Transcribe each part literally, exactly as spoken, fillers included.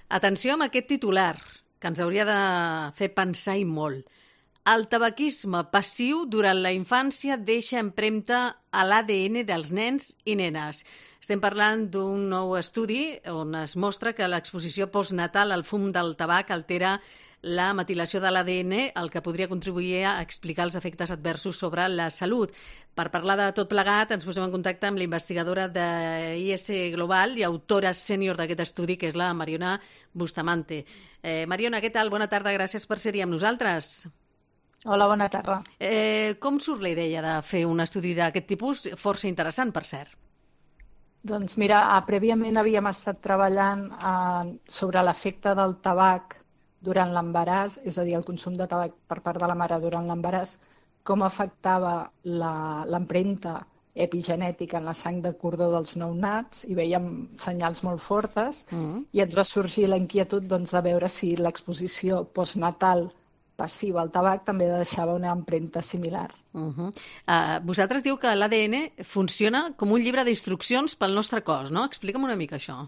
Atenció amb aquest titular, que ens hauria de fer pensar i molt. El tabaquisme passiu durant la infància deixa empremta a l'A D N dels nens i nenes. Estem parlant d'un nou estudi on es mostra que l'exposició postnatal al fum del tabac altera la metilació de l'A D N, el que podria contribuir a explicar els efectes adversos sobre la salut. Per parlar de tot plegat, ens posem en contacte amb l'investigadora de I S Global i autora sènior d'aquest estudi, que és la Mariona Bustamante. Eh, Mariona, què tal? Bona tarda, gràcies per ser-hi amb nosaltres. Hola, bona tarda. Eh, com surt la idea de fer un estudi d'aquest tipus? Força interessant, per cert. Doncs mira, prèviament havíem estat treballant eh, sobre l'efecte del tabac durant l'embaràs, és a dir, el consum de tabac per part de la mare durant l'embaràs, com afectava l'empremta epigenètica en la sang de cordó dels nounats, i veiem senyals molt fortes, mm. i ens va sorgir la inquietud doncs, de veure si l'exposició postnatal passiva al tabac també deixava una empremta similar. Uh -huh. uh, vosaltres diu que l'A D N funciona com un llibre d'instruccions pel nostre cos, no? Explica'm una mica això.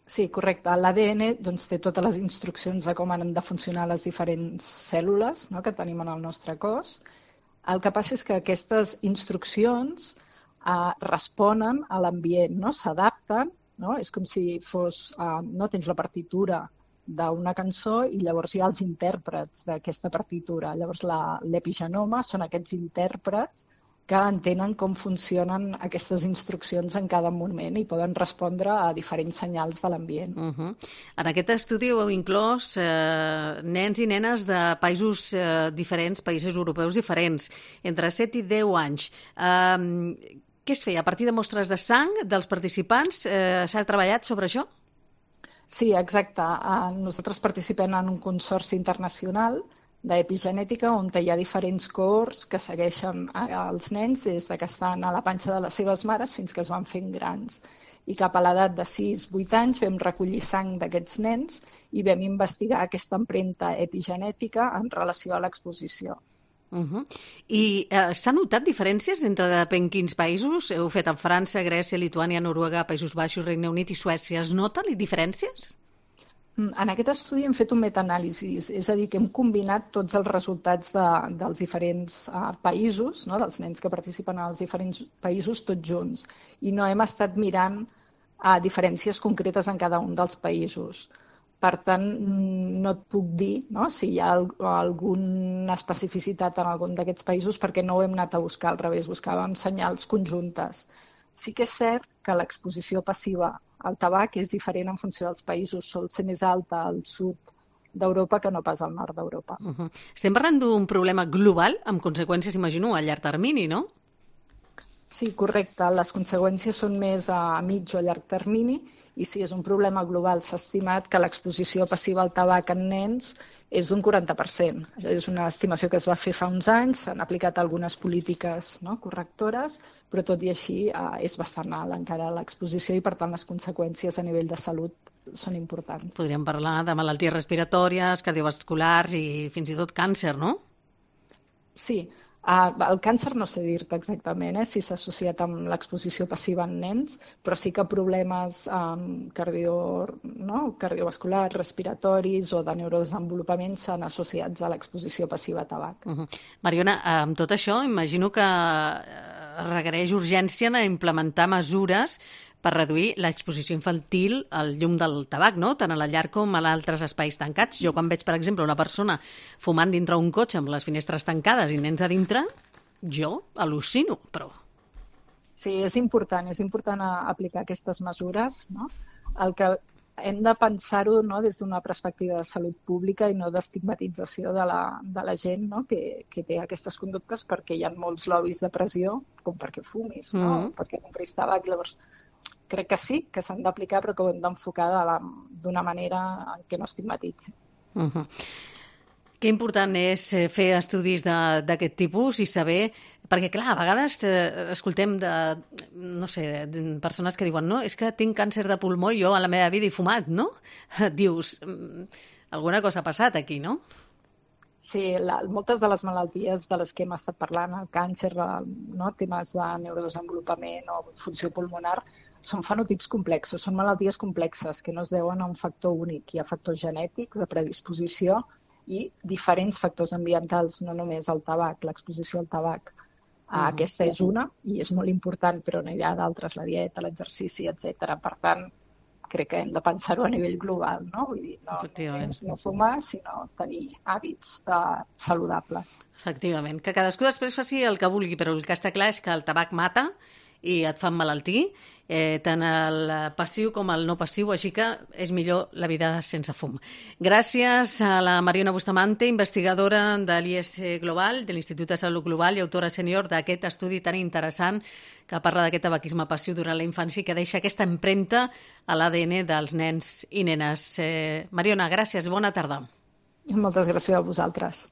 Sí, correcte. L'A D N doncs, té totes les instruccions de com han de funcionar les diferents cèl·lules, no?, que tenim en el nostre cos. El que passa és que aquestes instruccions uh, responen a l'ambient, no? S'adapten, no? És com si fos, uh, no tens la partitura d'una cançó i llavors hi ha els intèrprets d'aquesta partitura. Llavors l'epigenoma són aquests intèrprets que entenen com funcionen aquestes instruccions en cada moment i poden respondre a diferents senyals de l'ambient. Uh -huh. En aquest estudi heu inclòs eh, nens i nenes de països eh, diferents, països europeus diferents, entre set i deu anys. Eh, què es feia? A partir de mostres de sang dels participants eh, s'ha treballat sobre això? Sí, exacte. Nosaltres participem en un consorci internacional d'epigenètica on hi ha diferents cohorts que segueixen els nens des que estan a la panxa de les seves mares fins que es van fent grans. I cap a l'edat de sis a vuit anys vam recollir sang d'aquests nens i vam investigar aquesta empremta epigenètica en relació a l'exposició. Uh -huh. I eh, s'ha notat diferències entre depèn quins països? Heu fet en França, Grècia, Lituània, Noruega, Països Baixos, Regne Unit i Suècia. Es noten diferències? En aquest estudi hem fet un metaanàlisi, és a dir, que hem combinat tots els resultats de, dels diferents uh, països, no?, dels nens que participen als diferents països tots junts, i no hem estat mirant uh, diferències concretes en cada un dels països. Per tant, no et puc dir, no?, si hi ha alguna especificitat en algun d'aquests països perquè no ho hem anat a buscar, al revés, buscàvem senyals conjuntes. Sí que és cert que l'exposició passiva al tabac és diferent en funció dels països, sol ser més alta al sud d'Europa que no pas al nord d'Europa. Uh -huh. Estem parlant d'un problema global amb conseqüències, imagino, a llarg termini, no? Sí, correcte. Les conseqüències són més a mig o a llarg termini i si és un problema global s'ha estimat que l'exposició passiva al tabac en nens és d'un quaranta per cent. És una estimació que es va fer fa uns anys, s'han aplicat algunes polítiques, no?, correctores, però tot i així eh, és bastant alt encara l'exposició i per tant les conseqüències a nivell de salut són importants. Podríem parlar de malalties respiratòries, cardiovasculars i fins i tot càncer, no? Sí. Uh, el càncer no sé dir-te exactament eh, si s'ha associat amb l'exposició passiva en nens, però sí que problemes um, cardio, no? cardiovasculars, respiratoris o de neurodesenvolupament s'han associats a l'exposició passiva a tabac. Uh -huh. Mariona, amb tot això imagino que requereix urgència a implementar mesures per reduir l'exposició infantil al llum del tabac, no?, tant a la llar com a altres espais tancats. Jo quan veig, per exemple, una persona fumant dintre un cotxe amb les finestres tancades i nens a dintre, jo al·lucino, però... Sí, és important, és important aplicar aquestes mesures, no? El que hem de pensar-ho, no?, des d'una perspectiva de salut pública i no d'estigmatització de la, de la gent, no?, que, que té aquestes conductes, perquè hi ha molts lobbies de pressió, com perquè fumis, no?, mm. perquè compris tabac. Llavors, crec que sí, que s'han d'aplicar, però que ho hem d'enfocar d'una manera que no estigmatitzi. Uh -huh. Que important és fer estudis d'aquest tipus i saber... Perquè, clar, a vegades eh, escoltem de, no sé, de persones que diuen no, és que tinc càncer de pulmó i jo a la meva vida he fumat, no? Dius, alguna cosa ha passat aquí, no? Sí, la, moltes de les malalties de les que hem estat parlant, el càncer, no, temes de neurodesenvolupament o funció pulmonar, són fenotips complexos, són malalties complexes que no es deuen a un factor únic. Hi ha factors genètics de predisposició i diferents factors ambientals, no només el tabac, l'exposició al tabac. Uh, aquesta és una i és molt important, però n'hi ha d'altres, la dieta, l'exercici, etcètera. Per tant, crec que hem de pensar-ho a nivell global, no? Vull dir, no només no fumar, sinó tenir hàbits uh, saludables. Efectivament, que cadascú després faci el que vulgui, però el que està clar és que el tabac mata i et fa emmalaltir, eh, tant el passiu com el no passiu, així que és millor la vida sense fum. Gràcies a la Mariona Bustamante, investigadora de l'I S Global, de l'Institut de Salut Global i autora sènior d'aquest estudi tan interessant que parla d'aquest tabaquisme passiu durant la infància i que deixa aquesta empremta a l'A D N dels nens i nenes. Eh, Mariona, gràcies, bona tarda. Moltes gràcies a vosaltres.